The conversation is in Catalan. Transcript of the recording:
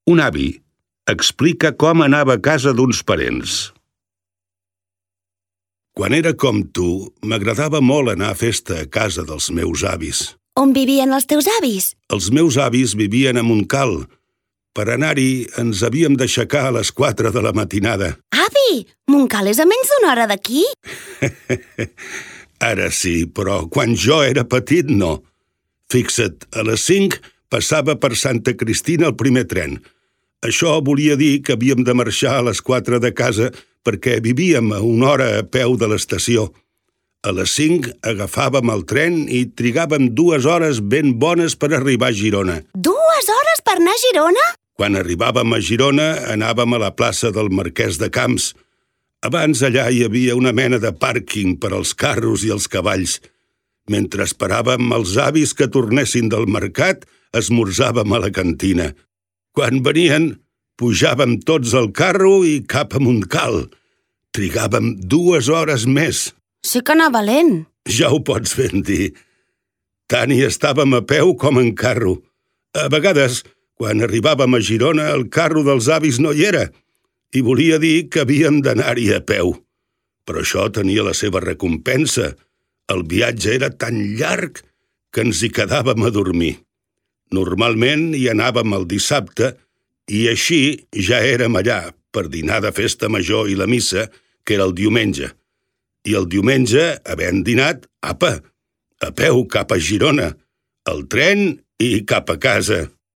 Un avi explica com anava a casa d'uns parents. Quan era com tu, m'agradava molt anar a festa a casa dels meus avis. On vivien els teus avis? Els meus avis vivien a Montcal. Per anar-hi ens havíem d'aixecar a les 4 de la matinada. Avi, Montcal és a menys d'una hora d'aquí? Ara sí, però quan jo era petit no. Fixa't, a les 5 passava per Santa Cristina el primer tren. Això volia dir que havíem de marxar a les 4 de casa perquè vivíem a una hora a peu de l'estació. A les 5 agafàvem el tren i trigàvem 2 hores ben bones per arribar a Girona. 2 hores per anar a Girona? Quan arribàvem a Girona anàvem a la plaça del Marquès de Camps. Abans allà hi havia una mena de pàrquing per als carros i els cavalls. Mentre esperàvem els avis que tornessin del mercat, esmorzàvem a la cantina. Quan venien, pujàvem tots al carro i cap a Montcal. Trigàvem 2 hores més. Sí que anava lent. Ja ho pots ben dir. Tant hi estàvem a peu com en carro. A vegades, quan arribàvem a Girona, el carro dels avis no hi era, i volia dir que havíem d'anar-hi a peu. Però això tenia la seva recompensa. El viatge era tan llarg que ens hi quedàvem a dormir. Normalment hi anàvem el dissabte i així ja érem allà per dinar de festa major i la missa, que era el diumenge. I el diumenge, havent dinat, apa, a peu cap a Girona, al tren i cap a casa.